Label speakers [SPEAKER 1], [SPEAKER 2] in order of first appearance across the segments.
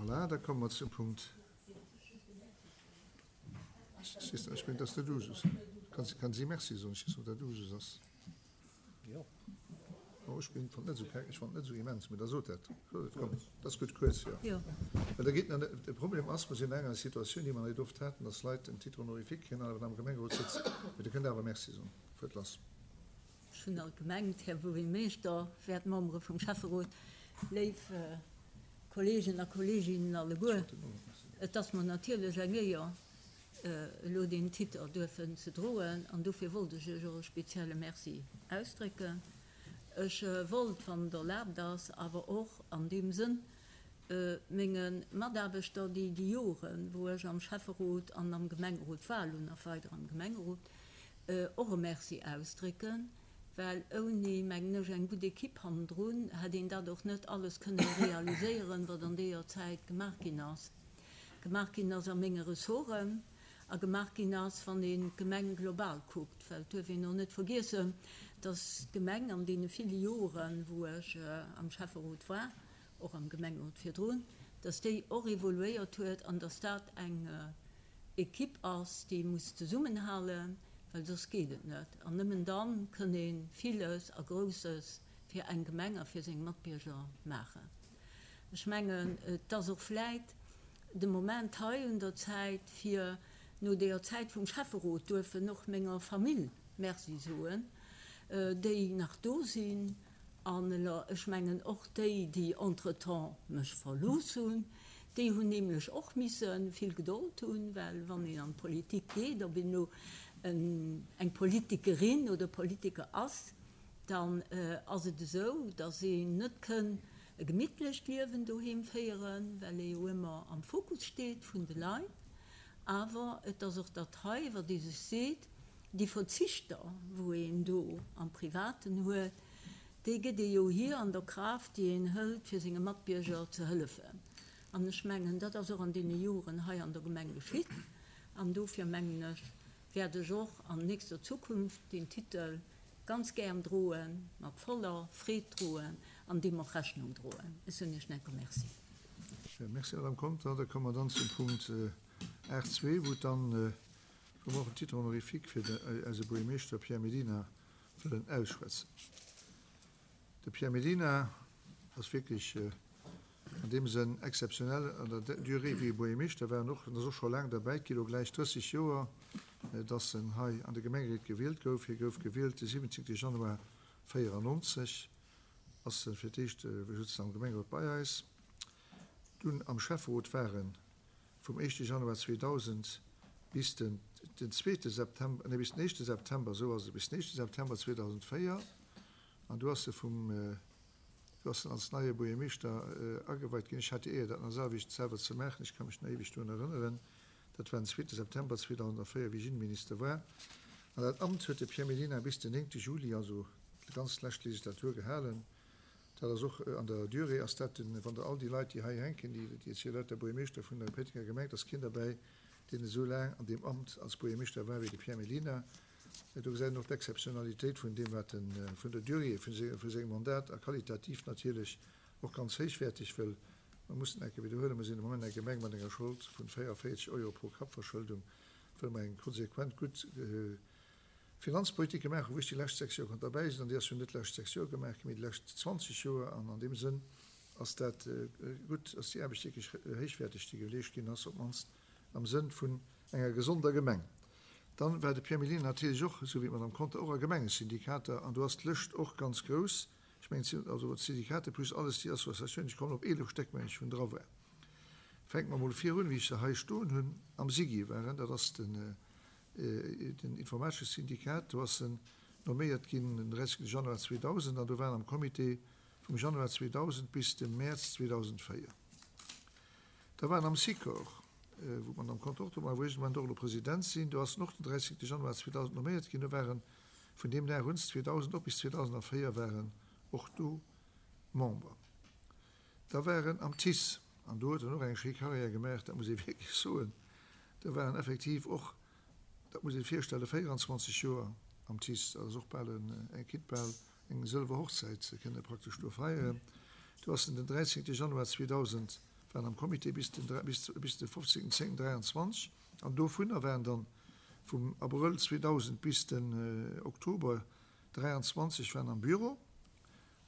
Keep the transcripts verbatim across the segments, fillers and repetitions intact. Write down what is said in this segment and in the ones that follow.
[SPEAKER 1] Voilà, da komme mer zum Punkt. Ech mengen, dass dat Usus. Kann si Merci soen? Ech weess net, ob dat Usus ass. Oh, ech bin, fand net esou, ech fand net esou immens, mee da sot dat. Sot et, komm, dat ass gutt, kuerz, jo.
[SPEAKER 2] Jo.
[SPEAKER 1] Well da geet nach net, de Problem ass, mer sinn an enger Situatioun, déi mer net oft haten, dass Leit en Titre honorifique kréien an awer am Gemengerot sëtzen. Mee Der kënnt awer Merci soen. Fuert lass.
[SPEAKER 2] Ech hunn alt gemengt, Här Buergermeeschter, wäert Membere vum Schäfferot, léif Kollegen a Kolleginnen alleguer, et ass mer natierlech eng Éier, elo deen Titer duerfen ze droen an dofir wollt ech Iech och e spezielle Merci ausdrécken. Ech wollt, wann et erlaabt ass, awer och an deem Sënn menge Mataarbechter, déi déi Joren, wou ech am Schäfferot an am Gemengerot war, elo nach weider am Gemengerot, och e Merci ausdrécken, well ouni, mengen ech, eng gutt Equipe hannendrun hätt een dat och net alles kënnen realiséieren, wat an deeër Zäit gemaach ginn ass. Gemaach ginn ass a menge Ressorten a gemaach ginn ass, wann een d'Gemeng global kuckt, well et duerf een och net vergiessen, dass d'Gemeng an deene ville Joren, wou ech am Schäfferot war, och am Gemengerot virdrun, dass déi och evoluéiert huet an dass dat eng Equipe ass, déi muss zesummenhalen, well soss geet et net. An nëmmen da kënn ee villes a Grousses fir eng Gemeng a fir seng Matbierger maachen. Ech mengen, et ass och vläit de Moment hei un der Zäit, fir no deeër Zäit vum Schäfferot duerfen och menger Famill Merci soen, déi nach do sinn, an ech mengen och déi, déi entretemps mech verlooss hunn. Déi hunn nämlech och misse vill Gedold hunn, well wann een an d'Politik geet, ob een elo eng Politikerin oder Politiker ass, dann ass et esou, datt een net kënn e gemittlecht Liewen doheem féieren, well ee jo ëmmer am Fokus steet vun de Leit. Awer et ass och dat hei, wat ee sech seet, déi Verzichter, wou een do am Privaten huet, déi gëtt ee jo hier an der Kraaft, déi een hëlt, fir senge Matbierger ze hëllefen. An ech mengen, dat ass och an deene Joren hei an der Gemeng geschitt. An dofir, mengen ech, wäert ech och an nächster Zukunft deen Titel ganz gären droen, mat voller Freed droen an deem och Rechnung droen. Ech soen Iech en enke Merci.
[SPEAKER 1] Merci, Madame Conter. Da komme mer dann zum Punkt aacht zwee, wou dann, wou mer och en Titre honorifique fir eise Buergermeeschter Pierre Mellina wëllen ausschwätzen. De Pierre Mellina ass wierklech an deem Sënn exzeptionell an der Durée, wéi e Buergermeeschter war, an och, en ass och scho laang derbäi, et gi lo gläich drësseg Joer, dass en hei an de Gemengeréit gewielt gouf. Hie gouf gewielt de siwwenzéngte Januar véierannonzeg, ass e fir d'éischt just am Gemengerot bei eis, dunn am Schäfferot war en vum éischte Januar zweedausend bis den den zweete September, nee, bis den éischte September, esou ass et, bis den éischte September zweedausendvéier, an du ass e vum, du ass en als neie Buergermeeschter ageweit ginn. Ech hat déi Éier, dat nach selwecht selwer ze maachen. Ech ka mech nach éiweg drun erënneren. Dat war den zweete September zweedausendvéier, wéi ech Innenminister war. An dat Amt huet de Pierre Mellina bis den néngte Juli, also déi ganz lescht Legislatur, gehalen. Dat ass och an der Durée ass dat den, wann Der all déi Leit, déi hei hänken, déi, déi jetzt hier lauter Buergermeeschter vun der Péitenger Gemeng, et ass keen derbäi, deen esou laang an deem Amt als Buergermeeschter war wéi de Pierre Mellina. Do gesäit een och d'Exzeptionalitéit vun deem, wat en, vun der Durée vu sengem Mandat a qualitativ natierlech och ganz héichwäerteg, wëll mer mussen enke widderhuelen, mer sinn de Moment eng Gemeng mat enger Schold vun véierundvéierzeg Euro pro Kapp-Verschëldung, wëll mer eng konsequent gutt Finanzpolitik gemaach hunn, wou ech déi lescht sechs Joer konnt derbäi sinn, an déi ass jo net d'lescht sechs Joer gemaach ginn, mee déi lescht zwanzeg Joer, an an deem Sënn ass dat gutt, ass déi Aarbecht wierklech héichwäerteg, déi geleescht ginn ass, op d'mannst am Sënn vun enger gesonder Gemeng. Dann war de Pierre Mellina natierlech och, esou wéi d'Madame Conter, och a Gemengesyndikater, an do ass d'Lëscht och ganz grouss. Ech mengen, et sinn also d'Syndikater plus alles déi Associatiounen, ech kommen op eelef Stéck, mengen ech, wou dra war. Fänke mer emol vir un, wéi ech se hei stoen hunn, am SIGI war en, dat ass den den informatesche Syndikat, do ass en nomméiert ginn den dräissegste Januar zweedausend an do war en am Comité vum Januar zweedausend bis de Mäerz zweedausendvéier. Da war en am Sikor, wou d'Madame Conter och do war, wou ech de Moment och elo President sinn, do ass en och den dräissegste Januar zweedausend nomméiert ginn, do war en vun deem Dag un, zweedausend op bis zweedausendvéier war en och do Member. Da war en am TICE, an do huet en och eng schéi Carrière gemaach, dat muss ee wierklech soen, do war en effektiv och, dat muss ee virstellen, véieranzwanzeg Joer am TICE, dat ass och bal en, kinnt bal eng sëlwer Hochzäit kënne praktesch do feieren. Do ass en den dräizéngte Januar zweedausend, war am Comité bis den, bis, bis de fofzéngten zéngten dräianzwanzeg an dovunner waren dann vum Abrëll zweedausend bis den Oktober dräianzwanzeg waren am Büro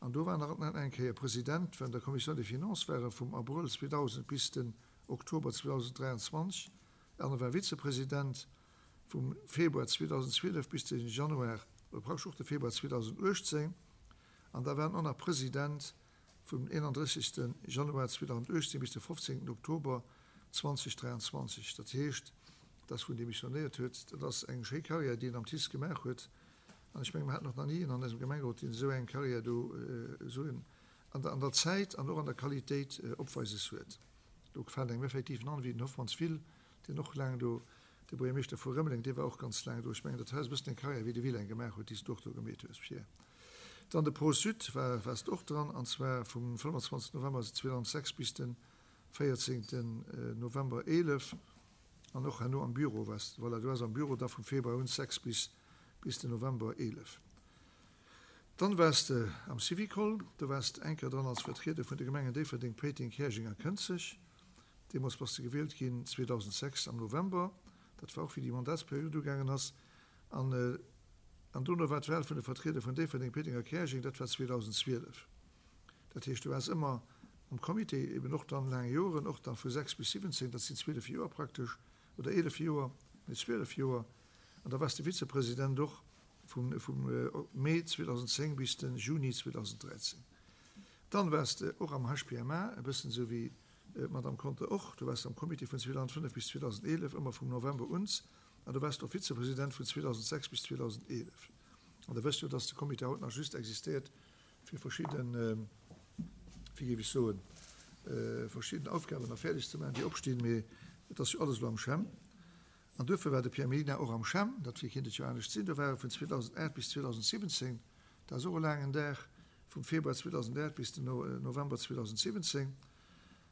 [SPEAKER 1] an do war nach eng Kéier President vun der Commission des Finances war e vum Abrëll zweedausend bis den Oktober zweedausenddräianzwanzeg an e war Vizepresident vum Februar zweedausendzwielef bis den Januar, oder praktesch och de Februar zweedausenduechtzéng an da war en och nach President vum eenandrëssegste Januar zweedausenduechtzéng bis de fofzéngten Oktober zweedausenddräianzwanzeg. Dat heescht, dass wou en demissionéiert huet, dat ass eng schéi Karriär, déi en am TICE gemaach huet. An ech mengen, mer haten och nach ni een an eisem Gemengerot, deen esou eng Karriär do esou an der, an der Zäit an och an der Qualitéit opweises huet. Do fält engem effektiv en an wéi den Hoffmanns Will, deen och laang do, de Buergermeeschter vu Rëmeleng, dee war och ganz laang do. Ech mengen, dat hei ass e bëssen eng Karriär, wéi de Will eng gemaach huet, déi s du och do gemeet hues, Pierre. Dann de Pro-Sud war, waars de och dran, an zwar vum fënnfanzwanzegsten November zweedausendsechs bis de véierzéngten November eelef. An och herno am Büro waars de, voilà, du waars am Büro da vum Februar un sechs bis, bis den November eelef. Dann waars de am Syvicol, do waars de eng Kéier dran als Vertrieder vun de Gemengen Déifferdeng, Péiteng, Käerjeng a Kënzeg. Deemools bass de gewielt ginn zweedausendsechs am November, dat war och wéi déi Mandatsperiod ugaangen ass. An, an dono war d'Wahl vun de Vertrieder vun Déifferdeng, Péiteng a Käerjeng, dat war zweedausendzwielef. Dat heescht, du waars ëmmer am Comité, eben och dann laang Joren, och dann vu sechs bis siwwenzéng, dat sinn zwielef Joer praktesch, oder eelef Joer, nee zwielef Joer, an da waars de Vizepresident och vum, vum Mee zweedausendzéng bis de Juni zweedausenddräizéng. Dann waars de och am H P M A, e bëssen esou wéi d'Madame Conter och, du waars am Comité vun zweedausendfënnef bis zweedausendeelef, ëmmer vum November un, an du waars och Vizepresident vun zweedausendsechs bis zweedausendeelef. An da wësst jo, dass de Comité haut nach just existéiert fir verschidden, wéi géif ech soen, verschidden Aufgaben nach fäerdeg ze maachen, déi opstinn, mee et ass jo alles elo am CHEM. An duerfir war de Pierre Mellina och am CHEM, dat wéi kéint et jo anescht sinn, do war e vun zweedausendacht bis zweedausensiwwenzéng, dat ass och e laangen Dag, vum Februar zweedausendacht bis den November zweedausensiwwenzéng.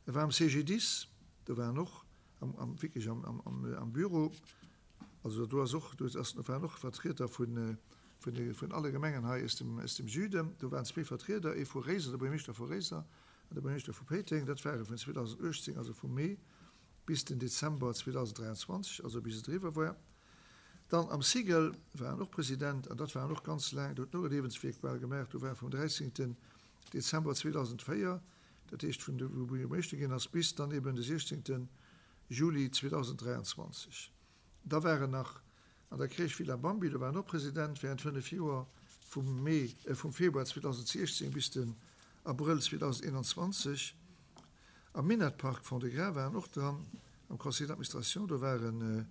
[SPEAKER 1] E war am C G D I S, do war en och am, am, wierklech am, am, am, am Büro, also do ass och, do ass, waren och Vertrieder vun, vun, de, vun alle Gemengen hei aus dem, aus dem Süden, do waren zwee Vertrieder, ee vu Réiser, de Buergermeeschter vu Réiser an de Buergermeeschter vu Péiteng, dat ware vun zweedausenduechtzéng, also vum Mee bis den Dezember zweedausenddräianzwanzeg, also bis et eriwwer war. Dann am Cigl war en och President, an dat war en och ganz laang, do huet en och e Liewenswierk bal gemaach, do war e vum dräizéngten Dezember zweedausendsvéier, dat heescht vun de wou Buergermeeschter ginn ass, bis dann eben de siechzéngte Juli zweedausenddräianzwanzeg. Da war en nach an der Crèche Villa Bambi, do war en och President während fënnef Joer, vum Mee, vum Februar zweedausendsechzéng bis den Abrëll zweedausendeenanzwanzeg. Am Minett-Park Fond-de-Gras war en och dran, am Conseil d'administration, do war en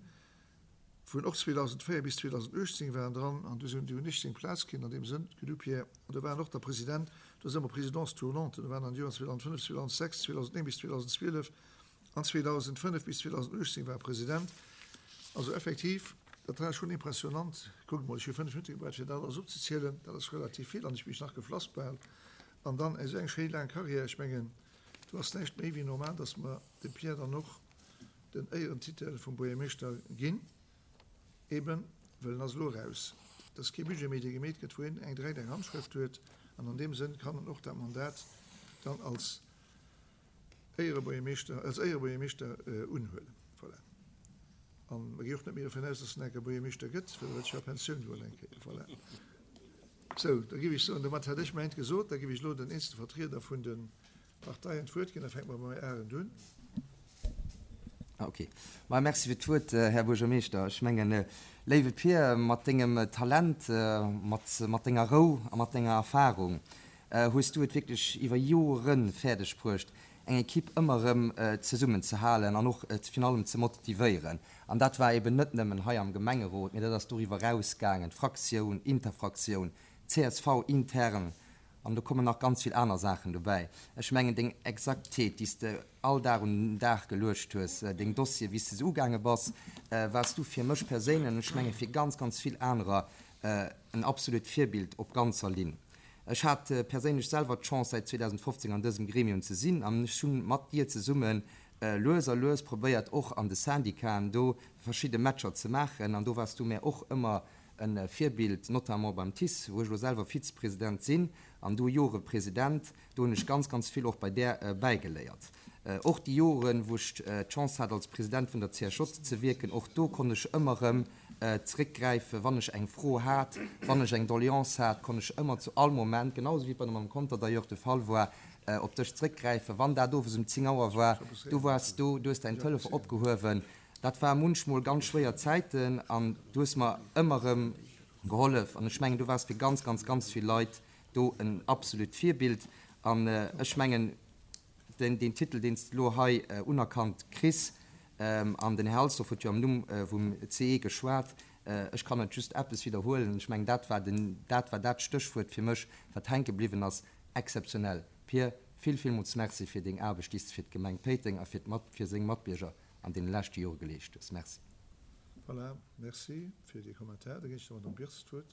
[SPEAKER 1] vun och zweedausendsvéier bis zweedausenduechtzéng war en dran, an du hunn ech seng Plaz kritt an deem Sënn, gedu Pierre, an do war en och da President, do ass ëmmer Présidence tournante, do waren an de Joren zweedausendsfënnef, zweedausendsechs, zweedausendnéng bis zweedausendzwielef an zweedausendsfënnef bis zweedausenduechtzéng war e President. Also effektiv, dat war schonn impressionant. Kuckt mol, ech hu fënnef Minutte gebraucht, fir dat alles opzezielen, dat ass relativ vill an ech mech nach geflass bal. An dann esou eng schéi laang Carrière, ech mengen, do ass näischt méi wéi normal, dass mer dem Pierre dann och den Éierentitel vum Buergermeeschter ginn, eben well en ass elo eraus. Et ass kee Budget méi, dee gemeet gëtt, wou een eng direkt eng Handschrëft huet. An an deem Sënn kann en och dat Mandat dann als Éierebuergermeeschter, als Éierebuergermeeschter unhuelen. Voilà. An mer gi och net méi dovun aus, dass en enker Buergermeeschter gëtt, well e wëllt jo a Pensioun goen eng Kéier. Voilà. Sou, da géif ech soen, domat hätt ech mäint gesot. Da géif ech elo den eenzele Vertrieder vun de Parteien d'Wuert ginn. Da fänke mer mam Här Arendt un.
[SPEAKER 3] Ah, okay. Ma merci fir d'Wuert, Här Buergermeeschter. Ech mengen, léiwe Pir, mat dengem Talent, mat, mat denger Rou a mat denger Erfahrung hues du et wierklech iwwer Jore fäerdeg bruecht, eng Ekipp ëmmer erëm zesummen ze halen an och virun allem ze motivéieren. An dat war eben net nëmmen hei am Gemengerot, mee dat ass doriwwer erausgaangen, Fraktioun, Interfraktioun, C S V intern, an do kommen nach ganz vill aner Saachen dobäi. Ech mengen, deng Exaktheet, déi s de all Dag un den Dag geluecht hues, deng Dossier, wéi s de se ugaange bass, waars du fir mech perséinlech an ech menge fir ganz, ganz vill anerer en absolut Virbild op ganzer Linn. Ech hat perséinlech selwer d'Chance, säit zweedausendfofzéng an dësem Gremium ze sinn an ech hunn mat dir zesumme lues a lues probéiert, och an de Syndicaten do verschidde Matcher ze maachen an do waars du mär och ëmmer e Virbild, notamment beim TICE, wou ech elo selwer Vizepresident sinn an du Jore President. Do hunn ech ganz, ganz vill och bei där bäigeléiert. Och déi Joren, wou ech d'Chance hat, als President vun der C S J ze wierken, och do konnt ech ëmmer erëm zeréckgräifen, wann ech eng Fro hat, wann ech eng Doleance hat, konnt ech ëmmer zu all Moment, genau esou wéi et bei der Madame Conter d'ailleurs de Fall war, op dech zeréckgräifen. Wann dat owes um zéng Auer war, du waars do, du hues däin Telefon opgehuewen. Dat war munchmol ganz schwéier Zäiten an du hues mer ëmmer erëm gehollef. An ech mengen, du waars fir ganz, ganz, ganz vill Leit do en absolut Virbild. An ech mengen, den, deen Titel, deen s de elo hei unerkannt kriss, an den Här Halsdorf huet jo am Numm vum C E geschwat, ech kann et just eppes widderhuelen, ech mengen, dat war den, dat war dat Stéchwuert fir mech, wat hänke bliwwen ass, exzeptionell. Pir, vill, villmools Merci fir deng Aarbecht, déi s de fir d'Gemeng Péiteng a fir d'Mat, fir seng Matbierger an deene leschte Jore geleescht hues. Merci.
[SPEAKER 1] Voilà, merci fir dee Kommentar. Da ginn ech der Madame Birst d'Wuert.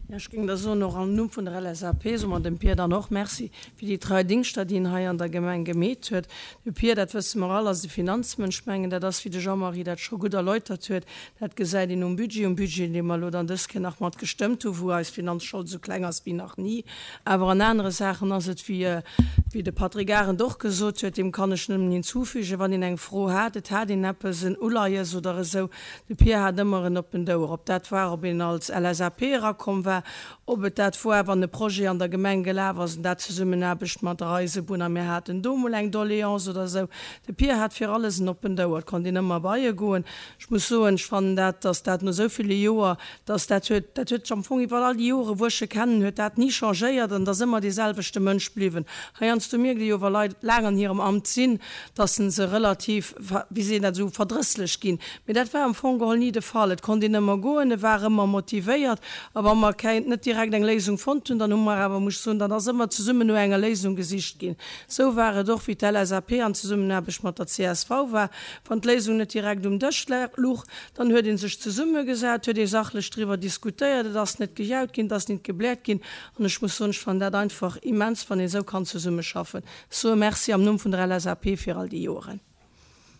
[SPEAKER 4] Jo, ech géing da soen, och am Numm vun der L S A P soe mer dem Pir dann och Merci fir déi trei Dingschter, déi en hei an der Gemeng gemeet huet. De Pir, dat wësse mer all, ass e Finanzmënsch. Ech mengen, dat ass, wéi de Jean-Marie dat scho gutt erläutert huet, dat gesäit een um Budget, um Budget, dee mer elo dann dës Kéier nach mat gestëmmt hu, wou eis Finanzschold esou kleng ass wéi nach ni. Awer an anere Saachen ass et, wéi, wéi de Patrick Arendt och gesot huet, deem kann ech nëmmen hinzufügen, wann een eng Fro hat, et hat een eppes, en Uleies oder esou, de Pir hat ëmmer en oppent Ouer. Ob dat war, ob een als L S A P erakomm war, ob et dat war, wann e Projet an der Gemeng gelaf ass, an dat Zesummenaarbecht mat der Eisebunn, a mir haten do mol eng Doléance oder esou. De Pir hat fir alles en oppent Ouer, et konnt een ëmmer bei e goen. Ech muss soen, ech fannen dat, dass dat no esou ville Joer, dass dat huet, dat huet sech am Fong iwwer all déi Jore wou ech e kennen, huet dat ni changéiert an et ass ëmmer dee selwechte Mënsch bliwwen. Heiansdo mierkt ee jo, wa Leit laang an hirem Amt sinn, dass se relativ, wéi seet een dat esou, verdrësslech ginn. Mee dat war am Fong geholl ni de Fall. Et konnt een ëmmer goen, e war ëmmer motivéiert a wa mer keng, net direkt eng Léisung fonnt hunn, dann hu mer awer, muss ech soen, dann ass ëmmer zesummen no enger Léisung gesicht ginn. Esou war et och, wéi d'L S A P an Zesummenaarbecht mat der C S V war. Wann d'Léisung net direkt um Dësch luch, dann huet ee sech zesummegesat, huet ee sachlech driwwer diskutéiert, et ass net gejaut ginn, et ass net gebläert ginn. An ech muss soen, ech fannen dat einfach immens, wann ee esou kann zesummeschaffen. Ech soe Merci am Numm vun der L S A P fir all déi Joren.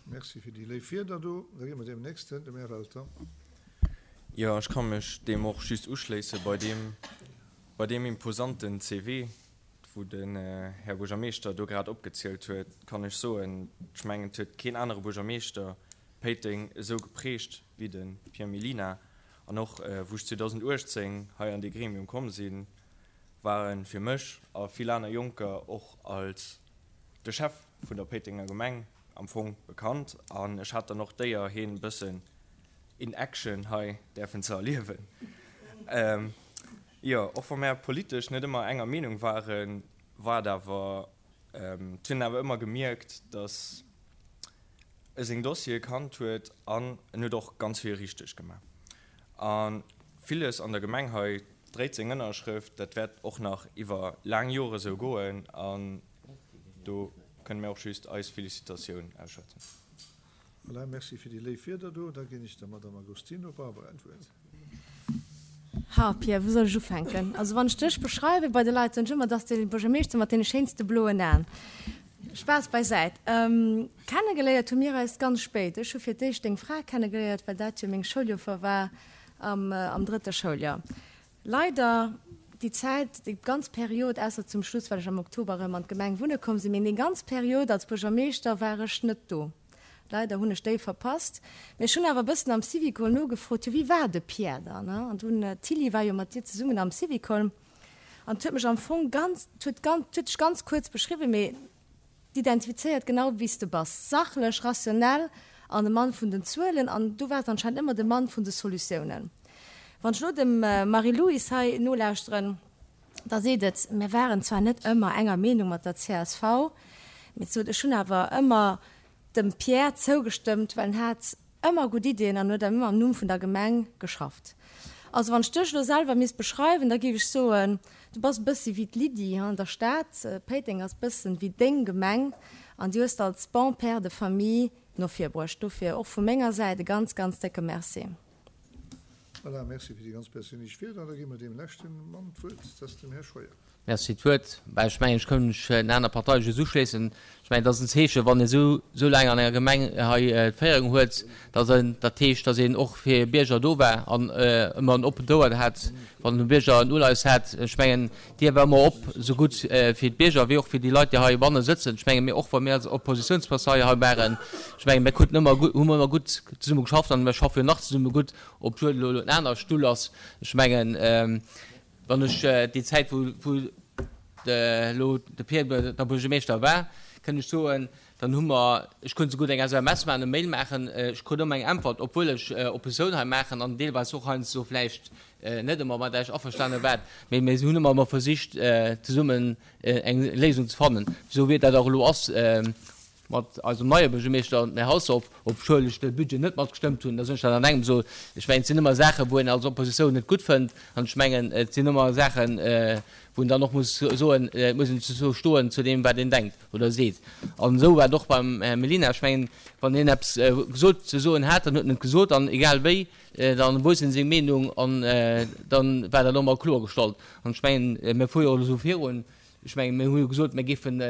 [SPEAKER 1] Merci fir déi léif Wierder do. Da gi mer deem nächsten, dem Här Welter.
[SPEAKER 5] Jo, ech ka mech deem och just uschléissen. Bei deem, bei deem imposanten C V, wou den Här Buergermeeschter do grad opgezielt huet, kann ech soen, ech mengen, et huet keen anere Buergermeeschter Péiteng esou geprägt wéi de Pierre Mellina. An och wou ech zweedausenduechtzéng hei an dee Gremium komm sinn, war e fir mech a vill aner Jonker och als de Chef vun der Péitenger Gemeng am Fong bekannt. An ech hat dann och d'Éier, hien e bëssen in action hei däerfen ze erliewen. Jo, och wa mär politesch net ëmmer enger Meenung waren, war et awer, et hunn awer ëmmer gemierkt, datt e seng Dossiere kannt huet an en huet och ganz vill richteg gemaach. A villes an der Gemeng hei dréit seng Ënnerschrëft. Dat wäert och nach iwwer laang Jore sou goen an do kënne mir och just eis Felicitatioun ausschwätzen.
[SPEAKER 1] Voilà, merci fir déi léif Wierder do. Da ginn ech der Madame Agostino Barbara d'Wuert.
[SPEAKER 6] Ha, Pierre, wou soll ech ufänken? Also wann ech dech beschreiwe bei de Leit, soen ech ëmmer, dass de Buergermeeschter mat deene schéinste bloen Aen. Spaass beisäit. Kennegeléiert hu mir eis ganz spéit. Ech hu fir d'éischt deng Fra kennegeléiert, well dat jo meng Schouljoffer war am, am drëtte Schouljoer. Leider déi Zäit, déi ganz Period, ausser zum Schluss, well ech am Oktober erëm an d'Gemeng wunne komm sinn, mee déi ganz Period als Buergermeeschter war ech net do. Leider hunn ech déi verpasst. Mee ech hunn awer e bëssen am Syvicol nogefrot, jo wéi war de Pierre dann, ne? An dunn, d'Tilly war jo mat dir zesummen am Syvicol an 't huet mech am Fong ganz, 't huet ganz, 't huet dech ganz kuerz beschriwwen, mee d'identifizéiert genau wéi s de bass, sachlech, rationell an de Mann vun den Zuelen an du waars anscheinend ëmmer de Mann vun de Solutiounen. Wann ech elo dem Marie-Louise hei nolauschteren, da seet et, mir waren zwar net ëmmer enger Meenung mat der C S V, mee et sot, ech hunn awer ëmmer dem Pierre zougestëmmt, well en hat ëmmer gutt Iddien an huet ëmmer am Numm vun der Gemeng geschafft. Also wann ech dech elo selwer misst beschreiwen, da géif ech soen, du bass e bëssi wéi d'Lydie an der Stad, Péiteng ass bëssen wéi deng Gemeng an déi hues de als bon père de famille no vir bruecht. Dofir och vu menger Säit e ganz, ganz décke Merci.
[SPEAKER 1] Voilà, merci fir déi ganz perséinlech Wierder. Da gi mer deem leschte Mann d'Wuert, dat ass dem Här Scheuer.
[SPEAKER 7] Merci fir d'Wuert. Bah, ech mengen, ech kënn mech den aner Parteie just uschléissen. Ech mengen, et ass en Zeechen, wann ee sou, sou laang an enger Gemeng hei d'Féierung huet, dass en, dat heescht, dass een och fir Bierger do war an ëmmer en oppent Ouer hat, wann de Bierger en Uleies hat. Ech mengen, d'Dier war ëmmer op, sou gutt fir d'Bierger wéi och fir déi Leit, déi heibanne sëtzen. Ech mengen, mir och, wa mir als Oppositionspartei hei waren, ech mengen, mir kruten ëmmer gutt, hu ëmmer gutt zesumme geschafft an mir schaffe jo nach zesumme gutt, obwuel elo en aner Stull ass. Ech mengen, Wann ech déi Zäit, wou wou elo de Pierre da Buergermeeschter war, kënn ech soen, dann hu mer, ech konnt souguer eng S M S maachen, e Mail maachen, ech krut ëmmer eng Äntwert, obwuel ech Oppositioun hei maachen an deelweis och heiansdo vläicht net ëmmer mat Iech averstane war, mee mir hunn ëmmer emol versicht, zesummen eng Léisung ze fannen, esou wéi dat och elo ass. Mat eisem neie Buergermeeschter, dem Här Halsdorf, obschuel ech de Budget net matgestëmmt hunn, da soen ech dat an engem esou. Ech mengen, et sinn ëmmer Saachen, wou een als Oppositioun net gutt fënnt, an ech mengen, et sinn ëmmer Saachen, wou een dann och muss soen, et muss een dozou stoen, zu deem, wat een denkt oder seet. An esou war et och beim Här Mellina. Ech mengen, wann hien eppes gesot ze soen hat, dann huet en et gesot, an egal wéi, dann wousst en seng Meenung, an dann war dat och emmer kloergestallt. An ech mengen, mir fuere jo och elo esou virun. Ech mengen, mir hu jo gesot, mir géifen,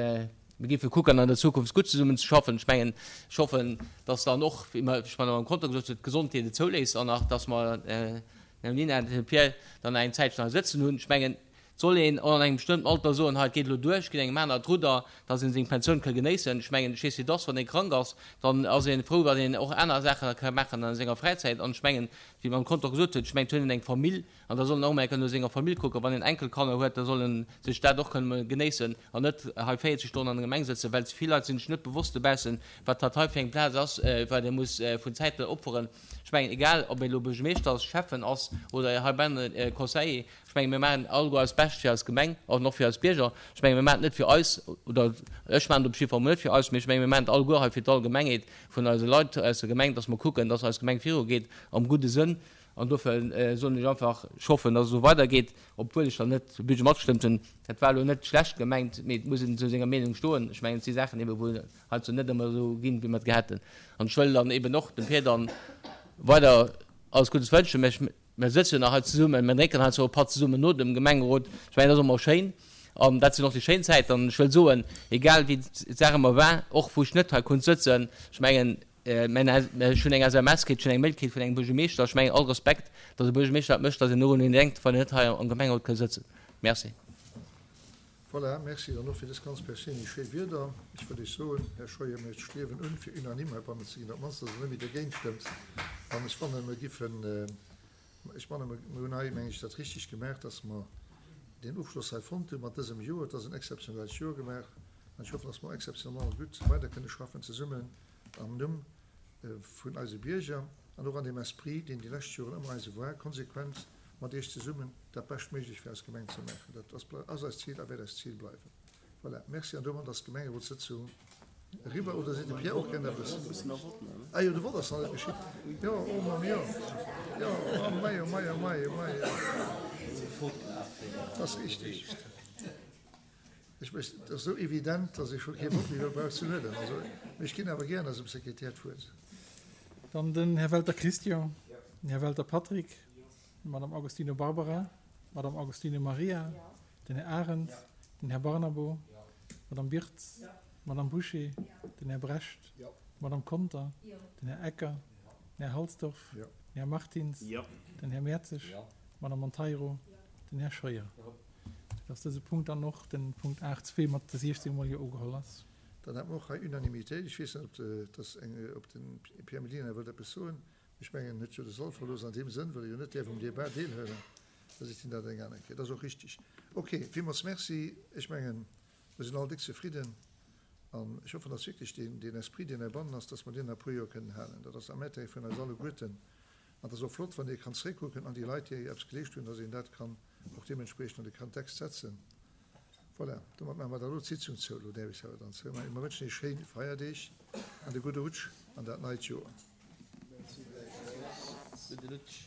[SPEAKER 7] Mir géife kucken, an der Zukunft gutt zesummen ze schaffen. Ech mengen, ech hoffen, dass dann och, wéi mer, wéi ech mer am Konto gesot hunn, d'Gesondheet et zouléisst an nach, dass mer den Här Nina an den Här Pierre dann nach eng Zäitchen hei sëtzen hunn. Ech mengen, et soll een och an engem bestëmmten Alter soen, hei, et geet elo duer, ech ginn engem aner d'Rudder, dass ee seng Pensioun ka genéissen. Ech mengen, ech weess, wéi et ass, wann ee krank ass, dann ass ee frou, wann een och aner Saachen ka maachen a senger Fräizäit. An ech mengen, wéi d'Madame Conter gesot huet, ech mengen, et huet een eng Famill, An da soll en och emol eng Kéier no senger Famill kucken. Wann en Enkelkanner huet, da soll en sech dat och kënnen emol genéissen an net hei véierzeg Stonnen an der Gemeng sëtzen, well ze vill Leit sinn sech net bewosst dobaussen, wat dat hei fir eng Plaz ass, wat ee muss vun Zäit opferen. Ech mengen, egal ob een elo Buergermeeschter ass, Schäffen ass oder heibannen Conseiller, ech mengen, mir maachen alleguer eist Bescht fir eis Gemeng an och fir eis Bierger. Ech mengen, mir maachen et net fir eis, oder ech maachen et op jidde Fall emol net fir eis, mee ech mengen, mir maachen et alleguer hei fir d'Allgemengheet vun eise Leit aus der Gemeng, dass mer kucken, dass eis Gemeng virugeet am gudde Sënn. An dofir soen ech einfach, ech hoffen, dass et esou weidergeet, obwuel ech dann net de Budget matgestëmmt hunn. Dat war elo net schlecht gemengt, mee et muss een zu senger Meenung stoen. Ech mengen, et si Saachen eeben, wou heiansdo net ëmmer esou ginn, wéi mer et gär hätten. An ech wëll dann eeben och dem Pir dann weider alles Guddes wënschen. Mä mir sëtzen jo nach hei zesummen, mir drénken heiansdo e Patt zesummen no dem Gemengerot. Ech mengen, dat ass och emol schéin. An dat sinn och déi schéin Zäiten. An ech wëll soen, egal wéi d'Saach ëmmer war, och wou ech net hei konnt sëtzen, ech mengen, Ech hunn eng S M S kritt, ech hunn eng Mail kritt vun engem Buergermeeschter. Ech mengen, all Respekt, datt e Buergermeeschter dat mécht, datt een och un een denkt, wann een net hei am Gemengerot ka sëtzen. Merci.
[SPEAKER 1] Voilà, merci dann och fir dës ganz perséinlech schéi Wierder. Ech wëll Iech soen, Här Scheuer, mir striewen un, fir unanime heibannen ze ginn, op d'mannst, datt Der net méi dergéint stëmmt. An ech fannen, mir giffen, ech fannen, mir hunn hei, meng ech, dat richtig gemaach, datt mer deen Ofschloss hei fonnt hu mat dësem Joer. Et ass en exzeptionellt Joer gemaach an ech hoffen, datt mer exzeptionellement gutt weider kënne schaffen zesummen am Numm vun eise Bierger an och an deem Esprit, deen déi lescht Joren ëmmer eise war, konsequent mat Iech zesummen dat Beschtméiglecht fir eis Gemeng ze maachen. Dat ass eist Zil a wäert eist Zil bleiwen. Voilà, merci. An domat ass d'Gemengerotssëtzung eriwwer. Oder seet de Pierre och gären eppes? Ah jo, de Vott ass nach net geschitt. Jo, oh Mamm, jo, jo, oh mei, oh mei, oh mei, oh mei. Dat ass richtig. Ech wëss, et ass esou evident, dass ee scho kee Vott méi brauch ze huelen. Also, mee ech ginn awer gären eisem Sekretär d'Wuert.
[SPEAKER 8] Dann den Här Welter Christian, den Här Welter Patrick, d'Madame Agostino Barbara, d'Madame Agostino Maria, den Här Arendt, den Här Barnabo, d'Madame Birtz, d'Madame Bouché, den Här Brecht, d'Madame Conter, den Här Ecker, den Här Halsdorf, den Här Martins, den Här Mertzig, d'Madame Monteiro, den Här Scheuer. Dass dëse Punkt dann och, den Punkt aacht zwee, mat de siechzéng mol Jo ugeholl ass.
[SPEAKER 1] Dann hätte mer och hei Unanimitéit. Ech weess net, ob dass eng, ob de Pierre Mellina wëllt eppes soen. Ech mengen, en huet jo de Sall verlooss an deem Sënn, well e jo net däerf um Débat deelhuelen. Da seet hien dat eng aner Kéier. Dat ass och richtig. Ok, villmools Merci. Ech mengen, mer sinn all déck zefridden an ech hoffen, dass wierklech deen, deen Esprit, deen heibannen ass, dass mer deen nach e puer Joer kënnen halen. Dat ass am Intérêt vun eis alleguerten. An et ass och flott, wann ee kann zréckkucken an déi Leit, déi eppes geleescht hunn, dass een dat kann och deementspriechend an de Kontext setzen. Voilà, domat maache mer da elo d'Sitzung zou. Elo däerf ech se awer dann zoumaachen. Mer wënschen Iech schéi Feierdeeg an e gudde Rutsch an dat neit Joer.
[SPEAKER 7] Gudde Rutsch.